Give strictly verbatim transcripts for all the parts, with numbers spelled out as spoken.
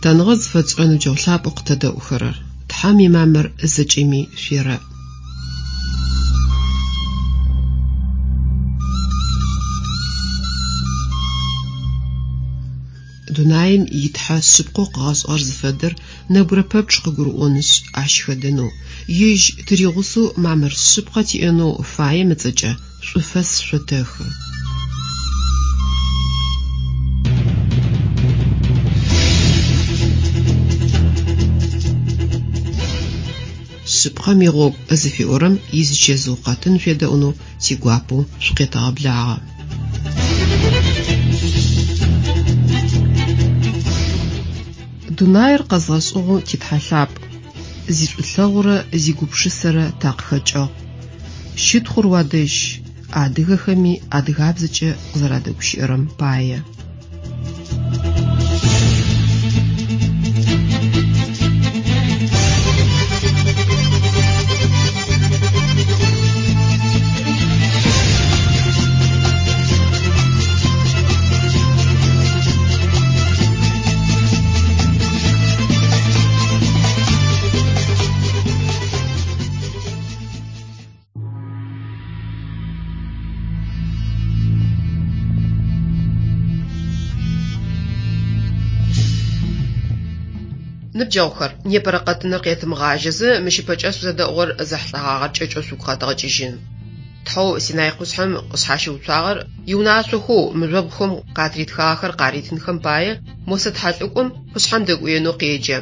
Лъытэныгъэ зыфэтшӏырэ ныбджэгъу лъапӏэу къытэдэӏухэрэр, Тхьэм имамыр зэкӏэми шъуерэӏ. Дунаим итхьэ шъыпкъэу къыгъэшӏыгъэр зыфэдэр нэбгырэ пэпчъ къыгурыӏонышъ, ащ хэдэнэу, ежь тыригъусэу мамыр шъыпкъэ тиӏэнэу фаем ыцӏэкӏэ шӏуфэс шъотэхы. Шъыпкъэм игъогу зыфиӏорэм изычэзыу къэтын шъуедэӏунэу тигуапэу шъукъетэгъэблагъэ. Дунаир къэзгъэшӏыгъэу титхьэ лъапӏ, зишӏулъэгъурэ зигупшысэрэ такъыхэкӏыгъ. Щытхъур уадэжь, адыгэхэми адыгабзэкӏэ къызэрадэгущыӏэрэм пае. Ныбджэгъухэр, непэрэ къэтыныр къетымыгъажьэзэ, мыщ ыпэкӏэ шъузэдэӏугъэр зэхьылӏэгъагъэр кӏэкӏэу шъугу къэдгъэкӏыжьын. Тхьэу Синай къушъхьэм къышъхьащыуцуагъэр иунашъохэу мыжъобгъухэм къатритхагъэхэр къаритынхэм пае Мосэ тхьэлӏыкӏом къушъхьэм дэкӏуенэу къеджэ.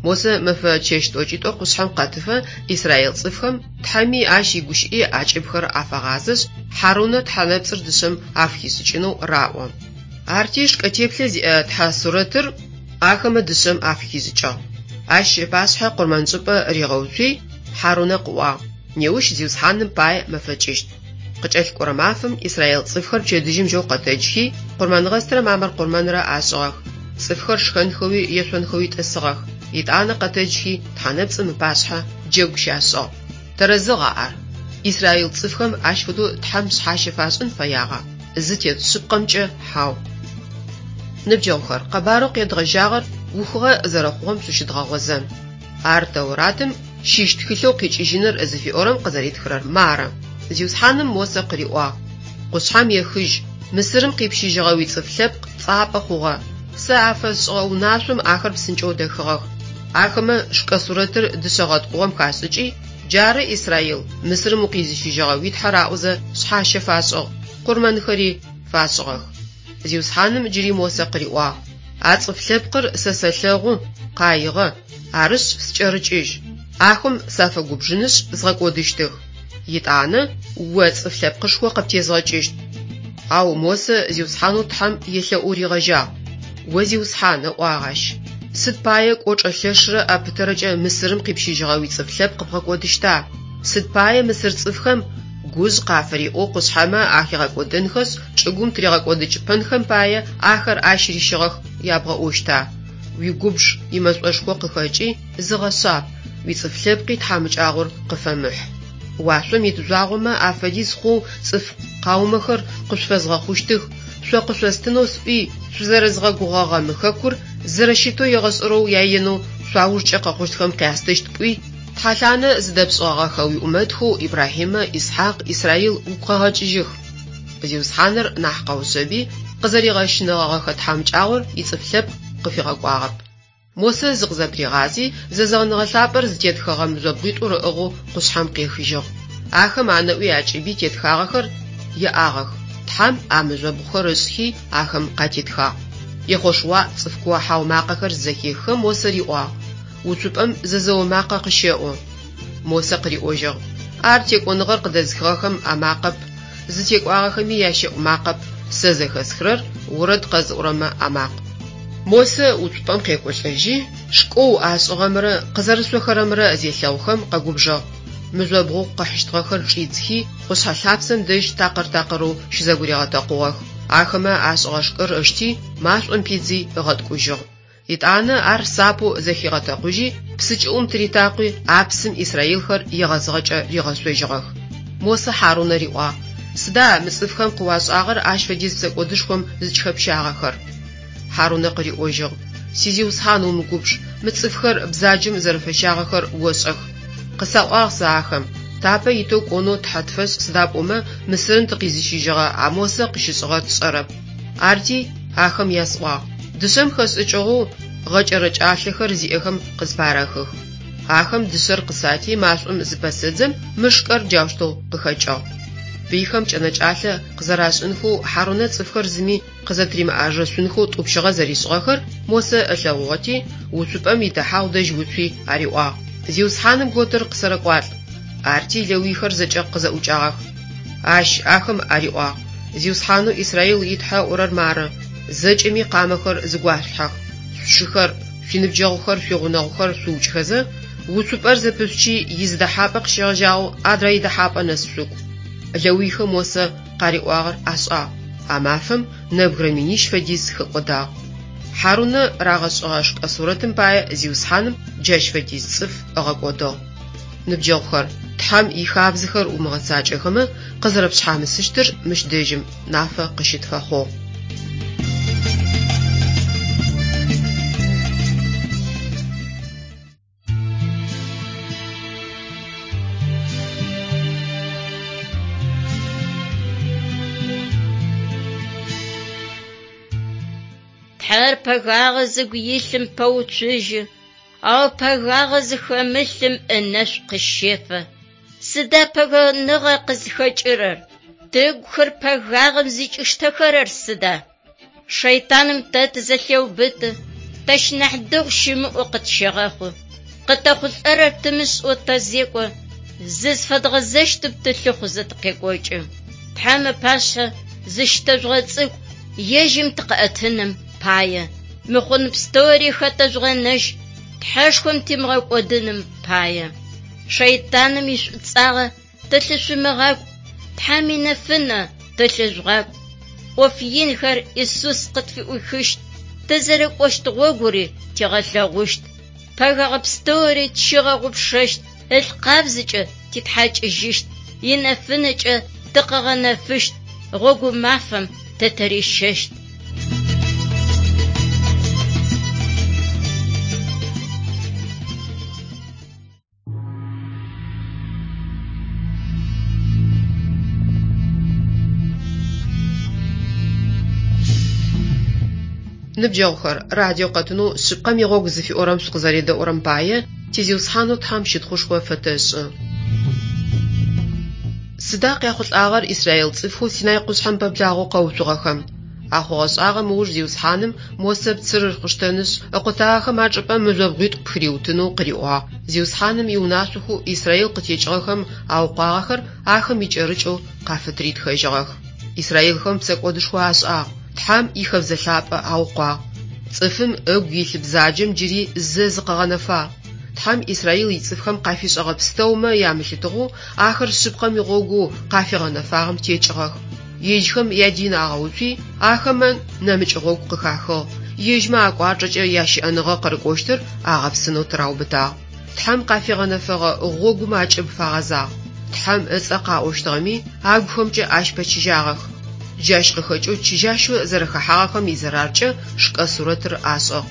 Мосэ мэфэ чэщ тӏокӏитӏо къушъхьэм къэтыфэ Израил цӏыфхэм Тхьэми ащ игущыӏи акӏыбхэр афагъазэшъ, Хьарунэ тхьэнэпцӏыр дышъэм афыхишӏыкӏынэу раӏо. Арти шкӏэ теплъэ зиӏэ тхьэ сурэтыр ахэмэ дышъэм афыхишӏыкӏыгъ. Ащ ыпашъхьэ къурмэншӏыпӏэ ригъэуцуи, Хьарунэ къыӏуагъ: «Неущ Зиусхьаным пае мэфэкӏыщт». Къыкӏэлъыкӏорэ мафэм Израил цӏыфхэр пчэдыжьым жьэу къэтэджхи, къурмэнгъэстрэ мамыр къурмэнрэ ашӏыгъэх. Цӏыфхэр шхэнхэуи ешъонхэуи тӏысыгъэх. Етӏанэ къэтэджхи, тхьэнэпцӏым ыпашъхьэ джэгу щашӏыгъ. Тэрэзыгъа ар? Израил цӏыфхэм ащ фэдэу Тхьэм шъхьащэ фашӏын фэягъа? Зытет шъыпкъэмкӏэ хьау. Ныбджэгъухэр, къэбарэу къедгъэжьагъэр ухыгъэ зэрэхъугъэм шъущыдгъэгъозэн. Ар Тэуратым щыщ тхылъэу къикӏыжьыныр зыфиӏорэм къызэритхырэр мары. Зиусхьаным Мосэ къыриӏуагъ: «Къушъхьэм ехыжь, Мысырым къипщыжьыгъэ уицӏыф лъэпкъ цӏапӏэ хъугъэ. Сэ афэсшӏыгъэ унашъом ахэр псынкӏэу дэхыгъэх. Ахэмэ шкӏэ сурэтыр дышъэ гъэткӏугъэм хашӏыкӏи, джары Израил, Мысырым укъизыщыжьыгъэ уи Тхьэр аӏозэ шъхьащэ фашӏыгъ, къурмэнхэри фашӏыгъэх». Зиусхьаным джыри Мосэ къыриӏуагъ: «А цӏыф лъэпкъыр сэ сэлъэгъу, къаигъэ, арышъ скӏэрыкӏыжь. Ахэм сафэгубжынышъ згъэкӏодыщтых. Етӏанэ о цӏыф лъэпкъышхо къыптезгъэкӏыщт». Ау Мосэ Зиусхьанэу Тхьэм елъэӏоу ригъэжьагъ: «О Зиусхьан, ыӏуагъ ащ, сыд пае кӏочӏэ лъэшрэ ӏэпытэрэкӏэ Мысырым къипщыжьыгъэ уицӏыф лъэпкъ бгъэкӏодыщта? Сыд пае мысыр цӏыфхэм гужъ къафыриӏоу къушъхьэмэ ахигъэкӏодэнхэшъ, чӏыгум тыригъэкӏодыкӏыпэнхэм пае ахэр ащ рищыгъэх ябгъэӏощта? Уигубж имэшӏошхо къыхэкӏи, зыгъэшъаб, уицӏыф лъэпкъи тхьамыкӏагъор къыфэмыхь. Уашъом ит жъуагъомэ афэдиз хъоу цӏыф къаумэхэр къышъуфэзгъэхъущтых, шъо къышъостынэу сӏуи, шъузэрэзгъэгугъэгъэ мы хэкур зэрэщытэу егъэшӏэрэу яенэу шъуаужкӏэ къэхъущтхэм къястыщт пӏуи, тхьэлъанэ зыдэпшӏыгъэгъэхэ уиӏумэтхэу Ибрахьимэ, Исхьакъ, Израил угу къэгъэкӏыжьых». Зиусхьаныр нахь къэушъэби, къызэригъэщынэгъэгъэхэ тхьамыкӏагъор ицӏыф лъэпкъ къыфигъэкӏуагъэп. Мосэ зыкъызэпыригъази, зэзэгъыныгъэ лъапӏэр зытетхэгъэ мыжъобгъуитӏур ыӏыгъэу къушъхьэм къехыжьыгъ. Ахэм анэӏуи акӏыби тетхагъэхэр иӏагъэх. Тхьэм а мыжъобгъухэр ышӏхи, ахэм къатетхагъ. Ехъошуа цӏыф куо-хьау макъэхэр зызэхеххэм Мосэ риӏуагъ: «Уцупӏэм зэзэо макъэ къыщэӏу». Мосэ къыриӏожьыгъ: «Ар текӏоныгъэр къыдэзыхыгъэхэм амакъэп, зытекӏуагъэхэми ящэӏу макъэп, сэ зэхэсхырэр орэд къэзыӏорэмэ амакъ». Мосэ уцупӏэм къекӏолӏэжьи, шкӏэу ашӏыгъэмрэ къызэрышъохэрэмрэ зелъэгъухэм къэгубжыгъ. Мыжъобгъоу къыхьыщтыгъэхэр чӏидзхи, къушъхьэ лъапсэм дэжь такъыр-такъырэу щызэгуригъэтэкъугъэх. Ахэмэ ашӏыгъэ шкӏэр ышти, машӏом пидзи ыгъэткӏужьыгъ. Етӏанэ ар сапэу зэхигъэтэкъужьи, псы кӏыӏум тыритакъуи, а псым израилхэр егъэзыгъэкӏэ ригъэшъожьыгъэх. Мосэ Хьарунэ риӏуагъ: «Сыда мы цӏыфхэм къыуашӏагъэр ащ фэдиз псэкӏодышхом зыкӏыхэпщагъэхэр?» Хьарунэ къыриӏожьыгъ: Сизиусхьан, умыгубж, мы цӏыфхэр бзаджэм зэрэфэщагъэхэр ошӏэх. Къысаӏуагъ сэ ахэм: «Тапэ итэу кӏонэу Тхьэ тфэшӏ, сыда пӏомэ Мысырым тыкъизыщыжьыгъэ а Мосэ къыщышӏыгъэр тшӏэрэп». Арти ахэм ясӏуагъ: «Дышъэм хэшӏыкӏыгъэу гъэкӏэрэкӏалъэхэр зиӏэхэр къыспарэхых». Ахэм дышъэр къысати, машӏом зыпэсэдзэм, мы шкӏэр джаущтэу къыхэкӏыгъ. Пыйхэм кӏэнэкӏалъэ къызэрашӏынхэу Хьарунэ цӏыфхэр зыми къызэтыримыӏажэшъунхэу тӏупщыгъэ зэришӏыгъэхэр Мосэ ылъэгъугъэти, уцупӏэм идэхьагъу дэжь уцуи ариӏуагъ: «Зиусхьаным готыр къысэрэкӏуалӏ». Арти лэуйхэр зэкӏэ къызэӏукӏагъэх. Ащ ахэм ариӏуагъ: «Зиусхьанэу Израил и Тхьэ ыӏорэр мары: зэкӏэми къамэхэр зыгуашъулъхьэх, шъушыхэр, шъуиныбджэгъухэр, шъуигъунэгъухэр шъуукӏхэзэ, уцупӏэр зэпышъучи изы дэхьапӏэ къыщегъэжьагъэу адрэ идэхьапӏэ нэс шъукӏу». Лэуйхэм Мосэ къариӏуагъэр ашӏагъ. А мафэм нэбгырэ минищ фэдиз хэкӏодагъ. Хьарунэ рагъэшӏыгъэ шкӏэ сурэтым пае Зиусхьаным джащ фэдиз цӏыф ыгъэкӏодыгъ. Ныбджэгъухэр, Тхьэм ихабзэхэр умыгъэцакӏэхэмэ къызэрэпшъхьамысыщтыр мыщ дэжьым нафэ къыщытфэхъугъ. Тхьэр пэгагъэ зыгу илъым пэуцужьы, ау пэгагъэ зыхэмылъым ынэшӏу къыщефэ. Сыда пэгэныгъэ къызхэкӏырэр? Тыгухэр пэгагъэм зыкӏиштэхэрэр сыда? Шэйтаным тэ тызэлъеубыты, тэщ нахь дэгъу щымыӏэу къытщегъэхъу. Къытэхъулӏэрэр тымышӏэу тэзекӏо, зызфэдгъэзэщтым тылъыхъузэ тыкъекӏокӏы. Тхьэм ыпашъхьэ зыщытэжъугъэцӏыкӏу, ежьым тыкъыӏэтыным пае. Мыхъун пстэури хэтэжъугъэнэжь, Тхьэшхом тимыгъэкӏодыным пае. Шэйтаным ишӏуцӏагъэ тэлъышъумыгъакӏу, Тхьэм инэфынэ тэлъыжъугъакӏу. ӏоф инхэр Исус къытфыӏуихыщт, тызэрыкӏощт гъогури тигъэлъэгъущт. Пэгагъэ пстэури тщигъэгъупшэщт, ылъ къабзэкӏэ титхьакӏыжьыщт, инэфынэкӏэ тыкъыгъэнэфыщт, гъогу мафэм тэ тырищэщт. Ныбджэгъухэр, радио къэтынэу шъыпкъэм игъогу зыфиӏорэм шъукъызэредэӏурэм пае тизиусхьанэу Тхьэм щытхъушхо фэтэшӏы. Сыда къяхъулӏагъэр Израил цӏыфхэу Синай къушъхьэм пэблагъэу къэуцугъэхэм? А хъугъэ-шӏагъэм ыуж Зиусхьаным Мосэ пцырыр къыштэнышъ, ыкъутагъэхэм ачӏыпӏэ мыжъобгъуитӏу пхыриутынэу къыриӏуагъ. Зиусхьаным иунашъохэу Израил къытекӏыгъэхэм аукъуагъэхэр ахэм икӏэрыкӏэу къафытыритхэжьыгъэх. Израилхэм псэкӏодышхо ашӏагъ, Тхьэм ихэбзэ лъапӏэ аукъуагъ. Цӏыфым ыгу илъ бзаджэм джыри зэ зыкъыгъэнэфагъ. Тхьэм Израил ицӏыфхэм къафишӏэгъэ пстэумэ ямылъытыгъэу ахэр шъыпкъэм игъогоу къафигъэнэфагъэм текӏыгъэх. Ежьхэм ядин агъэуцуи, ахэмэ нэмыкӏ гъогу къыхахыгъ. Ежьмэ акӏуачӏэкӏэ ящыӏэныгъэ къырыкӏощтыр агъэпсынэу тыраубытагъ. Тхьэм къафигъэнэфэгъэ гъогум акӏыб фагъэзагъ. Тхьэм ыцӏэ къаӏощтыгъэми, агухэмкӏэ ащ пэчыжьагъэх. Джащ къыхэкӏэу чыжьащэу зэрэхэхьагъэхэм изэраркӏэ шкӏэ сурэтыр ашӏыгъ.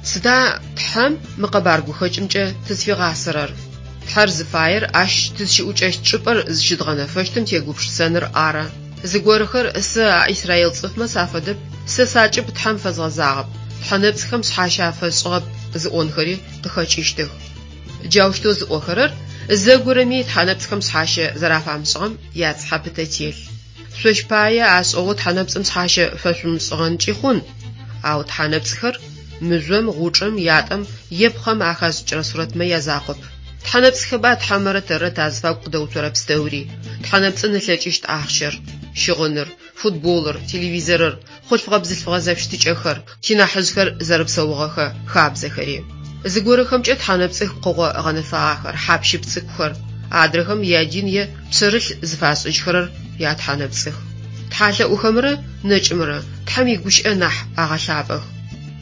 Сыда Тхьэм мы къэбар гухэкӏымкӏэ тызфигъасэрэр? Тхьэр зыфаер ащ тызщыӏукӏэщт чӏыпӏэр зыщыдгъэнэфэщтым тегупшысэныр ары. Зыгорэхэр сэ а Израил цӏыфмэ сафэдэп, сэ сакӏыб Тхьэм фэзгъэзагъэп, тхьэ нэпцӏхэм шъхьащэ афэсшӏыгъэп зыӏонхэри къыхэкӏыщтых. Джаущтэу зыӏохэрэр зэгорэми тхьэ нэпцӏхэм шъхьащэ зэрафамышӏыгъэм яцыхьэ пытэ телъ. Шъощ пае ашӏыгъэу тхьэ нэпцӏым шъхьащэ фэшъумышӏыгъэнкӏи хъун. Ау тхьэ нэпцӏхэр мыжъом, гъучӏым, ятӏэм е пхъэм ахэшӏыкӏырэ сурэтмэ язакъоп. Тхьэ нэпцӏхэба Тхьэмрэ тэррэ тазыфагу къыдэуцорэ пстэури. Тхьэ нэпцӏын ылъэкӏыщт ахъщэр, щыгъыныр, футболыр, телевизорыр, хъулъфыгъэ-бзылъфыгъэ зэфыщытыкӏэхэр, тинахьыжъхэр зэрэпсэугъэхэ хабзэхэри. Зыгорэхэмкӏэ тхьэ нэпцӏых пкъыгъо гъэнэфагъэхэр, хьап-щып цӏыкӏухэр, адрэхэм ядин е пшъэрылъ зыфашӏыжьхэрэр ятхьэ нэпцӏых. Тхьалъэӏухэмрэ нэкӏымрэ Тхьэм игущыӏэ нахь агъэлъапӏэх.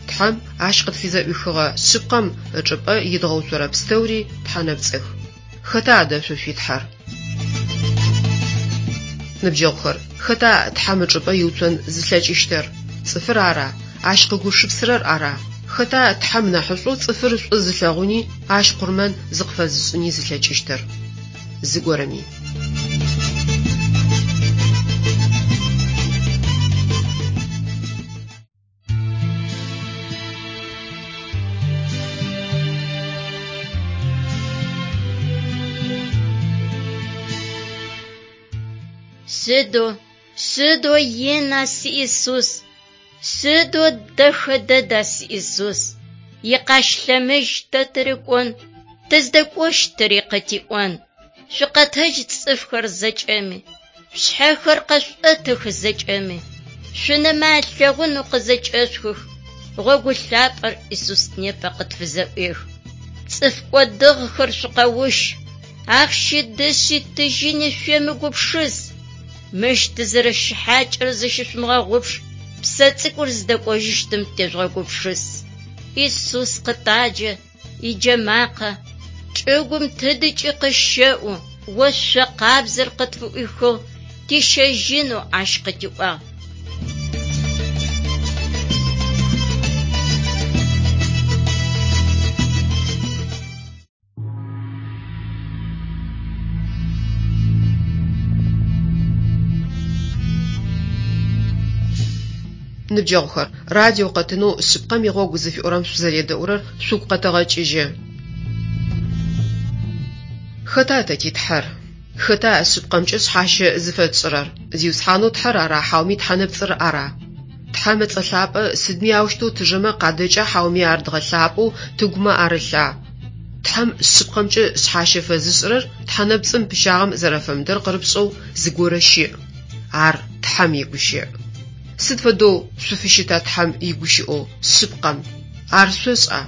Тхьэм ащ къытфызэӏуихыгъэ шъыпкъэм ычӏыпӏэ идгъэуцорэ пстэури тхьэ нэпцӏых. Хэта адэ шъо шъуитхьэр? Ныбджэгъухэр, хэта Тхьэм ычӏыпӏэ иуцон зылъэкӏыщтыр? Цӏыфыр ара? Ащ къыгушыпсырэр ара? Хэта Тхьэм нахьышӏоу цӏыфыр шӏу зылъэгъуни, Ащ къурмэн зыкъыфэзышӏыни зылъэкӏыщтыр? Зыгорэми. Сыдэу, сыдэу ина си Исус, сыдэу дэхэ дэда си Исус. Икъащ лъэмыж тэ тырыкӏон, тыздэкӏощтыри къытиӏон. Шъукъэтэдж цӏыфхэр зэкӏэми, шъхьэхэр къэшъуӏэтых зэкӏэми. Шъунэмэ алъэгъунэу къызэкӏэшъухых, гъогу лъапӏэр Исус непэ къытфызэӏуехы. Цӏыф кӏодыгъэхэр шъукъэущ, ахъщи дышъи тыжьыни шъуемыгупшыс. Мыщ тызэрэщыхьакӏэр зыщышъумыгъэгъупш, псэ цӏыкӏур зыдэкӏожьыщтым тежъугъэгупшыс. Исус къытаджэ, иджэмакъэ, чӏыгум тыдыкӏи къыщэӏу, ошъо къабзэр къытфыӏуихыгъ, тищэжьынэу ащ къытиӏуагъ. Ныбджэгъухэр, радио къэтынэу шъыпкъэм игъогу зыфиӏорэм шъузэредэӏурэр шъугу къэтэгъэкӏыжьы. Хэта тэ ти Тхьэр? Хэта шъыпкъэмкӏэ шъхьащэ зыфэтшӏырэр? Зиусхьанэу Тхьэр ара хьауми тхьэ нэпцӏыр ара? Тхьэм ыцӏэ лъапӏэ сыдми аущтэу тыжэмэ къадэкӏа хьауми ар дгъэлъапӏэу тыгумэ арылъа? Тхьэм шъыпкъэмкӏэ шъхьащэ фэзышӏырэр тхьэ нэпцӏым пыщагъэм зэрэфэмыдэр къырыпшӏэу зыгорэ щыӏ. Ар Тхьэм игущыӏ. Сыд фэдэу шъуфыщыта Тхьэм игущыӏэу шъыпкъэм? Ар шъошӏа?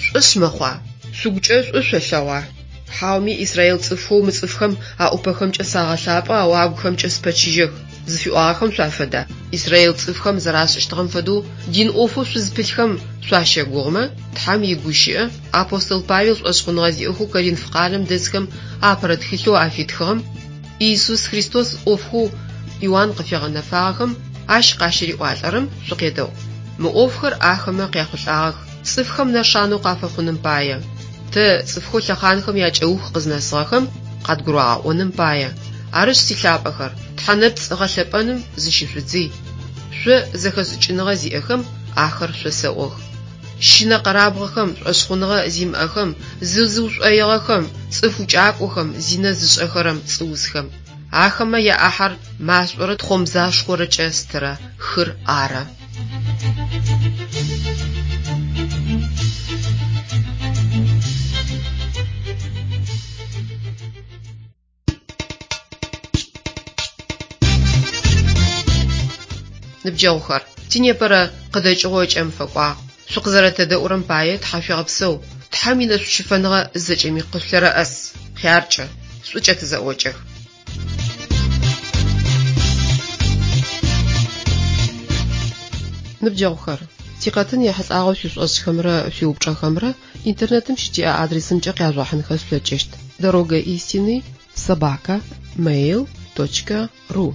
Шӏошъ мэхъуа? Шъугукӏэ шӏу шъолъэгъуа? Хьауми Израил цӏыфхэу мы цӏыфхэм аӏупэхэмкӏэ сагъэлъапӏэ, ау агухэмкӏэ спэчыжьэх зыфиӏуагъэхэм шъуафэда? Израил цӏыфхэм зэрашӏыщтыгъэм фэдэу дин ӏофэу шъузпылъхэм шъуащэгугъымэ, Тхьэм игущыӏэ апостол Павел шӏошъхъуныгъэ зиӏэхэу Коринф къалэм дэсхэм апэрэ тхылъэу афитхыгъэм Иисус Христос ӏофхэу Иоанн къыфигъэнэфагъэхэм ащ къащыриӏуалӏэрэм шъукъедэӏу. Мы ӏофхэр ахэмэ къяхъулӏагъэх, цӏыфхэм нэшанэу къафэхъуным пае. Тэ цӏыфхэу лъэхъанхэм якӏэух къызнэсыгъэхэм къадгурагъэӏоным пае. Арышъ, силъапӏэхэр, тхьэ нэпцӏ гъэлъэпӏэным зыщышъудзый. Шъо зэхэшӏыкӏыныгъэ зиӏэхэм ахэр шъосэӏох. Щынэ къэрабгъэхэм, шӏошъхъуныгъэ зимыӏэхэм, зызыушӏоигъэхэм, цӏыф укӏакӏохэм, зинэ зышӏэхэрэм, цӏыусхэм. Ахэмэ яӏахьэр машӏорэ тхъомзашхъорэкӏэ стырэ хыр ары. Ныбджэгъухэр, тинепэрэ къыдэкӏыгъо ыкӏэм фэкӏуагъ. Шъукъызэрэтэдэӏурэм пае тхьашъуегъэпсэу. Тхьэм инэшӏущыфэныгъэ зэкӏэми къышъулъэрэӏэс. Хъяркӏэ, шӏукӏэ тызэӏокӏэх. Ныбджэгъухэр, тикъэтын ехьылӏагъэу шъуишӏошӏхэмрэ шъуиупчӏэхэмрэ интернетым щытиӏэ адресымкӏэ къяжъугъэхьынхэ шъулъэкӏыщт: дорога истины собака mail точка ру.